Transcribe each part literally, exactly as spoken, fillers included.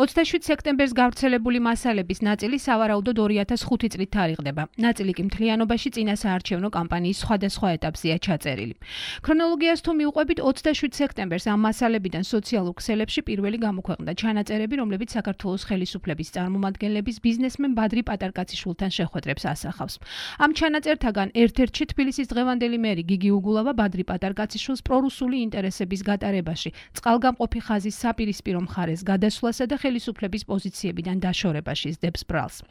ოცდაშვიდ სექტემბერს გავრცელებული მასალების ნაწილი სავარაუდოდ ორი ათას ხუთი წლით თარიღდება. ნაწილი კი მთლიანობაში წინასაარჩევნო კამპანიის სხვადასხვა ეტაპზეა ჩაწერილი. ქრონოლოგიას თუ მივყვებით, ოცდაშვიდ სექტემბერს ამ მასალებიდან სოციალურ ქსელებში პირველი გამოქვეყნდა ჩანაწერები, რომლებიც საქართველოს ხელისუფლების წარმომადგენლების ბიზნესმენ ბადრი პატარკაციშვილთან შეხვედრებს ასახავს. ამ ჩანაწერთაგან ერთ-ერთში თბილისის დღევანდელი მერი გიგი უგულავა ბადრი პატარკაციშვილს პრორუსული ინტერესების გატარებაში, წყალგამყოფი ხაზის საპირისპირო მხარეს გადასვლასა და ხელისუფლების პოზიციებიდან დაშორებაში სდებს ბრალს.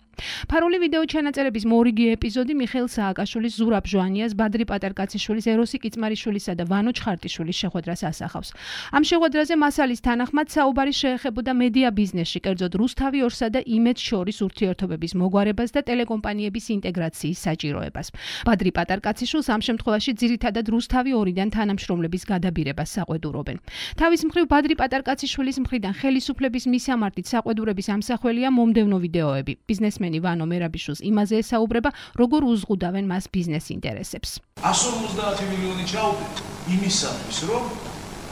ფარული ვიდეო ჩანაწერების მორიგი ეპიზოდი მიხეილ სააკაშვილის, ზურაბ ჟვანიას, ბადრი პატარკაციშვილის, ეროსი კიწმარიშვილისა და ვანო ჩხარტიშვილის შეხვედრას ასახავს. ამ შეხვედრაზე მასალის თანახმად საუბარი შეეხებოდა მედია ბიზნესში, კერძოდ რუსთავი ორსა და იმედს შორის ურთიერთობების მოგვარებას და ტელეკომპანიების ინტეგრაციის საჭიროებას. ბადრი პატარკაციშვილს ამ შემთხვევაში ძირითადად რუსთავი ორიდან თანამშრომლების გადაბირებას საყვედურობენ. თავის მხრივ ბადრი პატარკაციშვილის მხრიდან ხელისუფლების მისამართით საყვედურების ამსახველია მომდევნო ვიდეოები. ბიზნესმენი ვანო მერაბიშვილს იმაზე ესაუბრება, როგორ უზღუდავენ მას ბიზნეს ინტერესებს. εκατო ოცდაათი მილიონი ჩაუდგეთ იმისათვის, რომ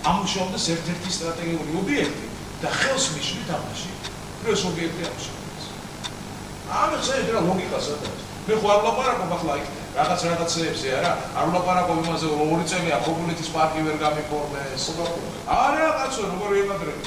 ამუშავდეს ერთ-ერთი სტრატეგიული ობიექტი და ხელს მისვით ამაში. ეს ობიექტი ამუშავდეს. ამას შეიძლება ლოგიკა სადაც. მე ხო არ ვლაპარაკობ ახლა იქ რაღაც რაღაცეებზე, არა? არ ვლაპარაკობ იმაზე, რომ ორი წელია ქობულეთის პარკი ვერ გამიფორმეს. არა, კაცო, როგორ ვიმაგრებ?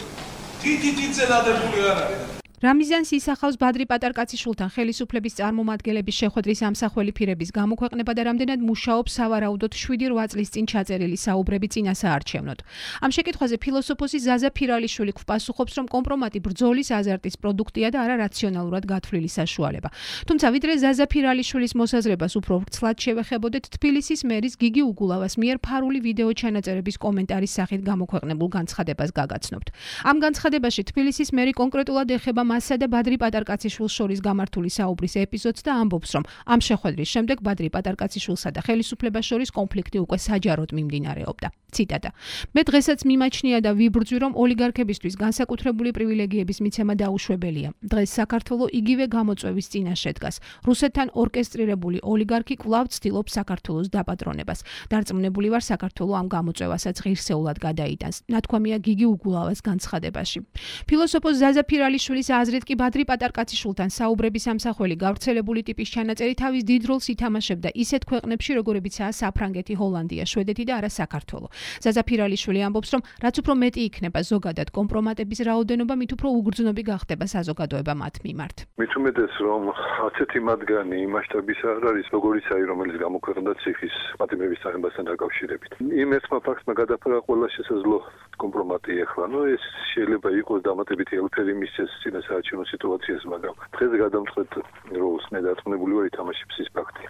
თითითიძე დადებული არ არის. რამიზანს ისახავს ბადრი პატარკაციშვილთან ხელისუფლების წარმომადგენლების შეხვედრის ამსახველი ფირების გამოქვეყნება და რამდენად მუშაობს სავარაუდოდ შვიდი რვა წლის წინ ჩაწერილი საუბრები წინასაარჩევნოდ. ამ შეკითხვაზე ფილოსოფოსი ზაზა ფირალიშვილი გვპასუხობს, რომ კომპრომატი ბრძოლის აზარტის პროდუქტია და არა რაციონალურად გათვლილი საშუალება. თუმცა ვიდრე ზაზა ფირალიშვილის მოსაზრებას უფრო ვრცლად შევეხებოდეთ, თბილისის მერის გიგი უგულავას მიერ ფარული ვიდეო ჩანაწერების კომენტარის სახით გამოქვეყნებულ განცხადებას გაგაცნობთ. ამ განცხადებაში თბილისის მერი კონკრეტულად ეხება მასა და ბადრი პატარკაციშვილს შორის გამართული საუბრის ეპიზოდს და ამბობს, რომ ამ შეხვედრის შემდეგ ბადრი პატარკაციშვილსა და ხელისუფლებას შორის კონფლიქტი უკვე საჯაროდ მიმდინარეობდა. ციტატა: მე დღესაც მიმაჩნია და ვიბრძვი, რომ ოლიგარქებისთვის განსაკუთრებული პრივილეგიების მიცემა დაუშვებელია. დღეს საქართველო იგივე გამოწვევის წინაშე დგას. რუსეთთან ორკესტრირებული ოლიგარქი კვლავ ცდილობს საქართველოს დაპატრონებას. დარწმუნებული ვარ, საქართველო ამ გამოწვევასაც ღირსეულად გადაიტანს. ნათქვამია გიგი უგულავას განცხადებაში. ფილოსოფოს ზაზა ფირალიშვილის აზრით კი ბადრი პატარკაციშვილთან საუბრების ამსახველი გავრცელებული ტიპის ჩანაწერი თავის დიდ როლს ითამაშებდა ისეთ ქვეყნებში, როგორებიცაა საფრანგეთი, ჰოლანდია, შვედეთი და არა საქართველო. ზაზა ფირალიშვილი ამბობს, რომ რაც უფრო მეტი იქნება ზოგადად კომპრომატების რაოდენობა, მით უფრო უგრძნობი გახდება საზოგადოება მათ მიმართ. მით უმეტეს, რომ ასეთი მათგანი მასშტაბის არ არის, როგორიც არის, რომელიც გამოქვეყნდა ციხის პატიმების წამებასთან დაკავშირებით. იმ ერთმა ფაქტმა გადაფარა ყველა შესაძლო კომპრომატი ეხლა. ნუ ეს შეიძლება იყოს დამატებითი ელფერი მისცეს წინასაარჩევნო სიტუაციას, მაგრამ დღეს გადამწყვეტ როლს მე დარწმუნებული ვარ ითამაშებს ის ფაქტი.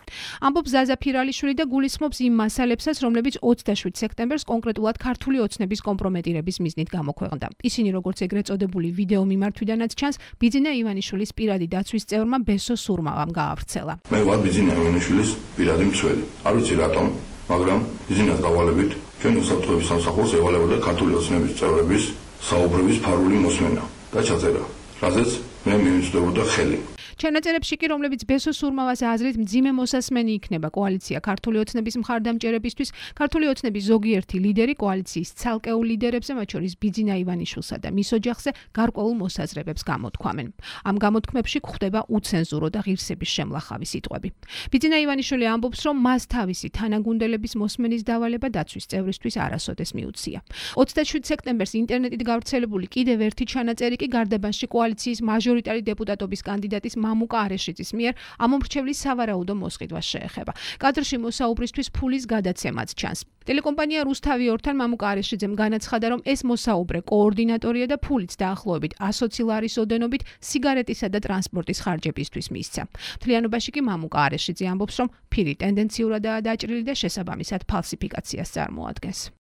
ამბობს ზაზა ფირალიშვილი და გულისხმობს იმ მასალებსაც, რომლებიც ოცდაშვიდ სექტემბერს კონკრეტულად ქართული ოცნების კომპრომეტირების მიზნით გამოქვეყნდა. ისინი, როგორც ეგრეთ წოდებული ვიდეო მიმართვიდანაც ჩანს, ბიძინა ივანიშვილის პირადი დაცვის წევრმა ბესო სურმავამ გაავრცელა. მე ვარ ბიძინა ივანიშვილის პირადი მცველი. არ ვიცი რატომ, მაგრამ ბიძინას დავალებით ჩვენ უსაფრთხოების სამსახურს ევალებოდა ქართული ოცნების წევრების საუბრების ფარული მოსმენა და ჩაწერა, რაზეც მე მივიწვდებოდა ხელი. ჩანაწერებში კი, რომლებიც ბესო სურმავას აზრით მძიმე მოსასმენი იქნება კოალიცია ქართული ოცნების მხარდამჭერებისთვის, ქართული ოცნების ზოგიერთი ლიდერი კოალიციის ცალკეულ ლიდერებზე, მათ შორის ბიძინა ივანიშვილსა და მის ოჯახზე გარკვეულ მოსაზრებებს გამოთქვამენ. ამ გამოთქმებში გვხვდება უცენზურო და ღირსების შემლახავი სიტყვები. ბიძინა ივანიშვილი ამბობს, რომ მას თავისი თანაგუნდელების მოსმენის დავალება დაცვის წევრისთვის არასოდეს მიუცია. ოცდაშვიდ სექტემბერს ინტერნეტით გავრცელებული კიდევ ერთი ჩანაწერი კი გარდაბანში კოალიციის მაჟორიტარი დეპუტატობის კანდიდატის მამუკა არეშიძის მიერ ამომრჩევლის სავარაუდო მოსყიდვას შეეხება. კადრში მოსაუბრისთვის ფულის გადაცემაც ჩანს. ტელეკომპანია რუსთავი ორთან მამუკა არეშიძემ განაცხადა, რომ ეს მოსაუბრე კოორდინატორია და ფულით დაახლოებით ასი ლარის ოდენობით სიგარეტისა და ტრანსპორტის ხარჯებისთვის მისცა. მთლიანობაში კი მამუკა არეშიძე ამბობს, რომ ფირი ტენდენციურადაა დაჭრილი და შესაბამისად ფალსიფიკაციას წარმოადგენს.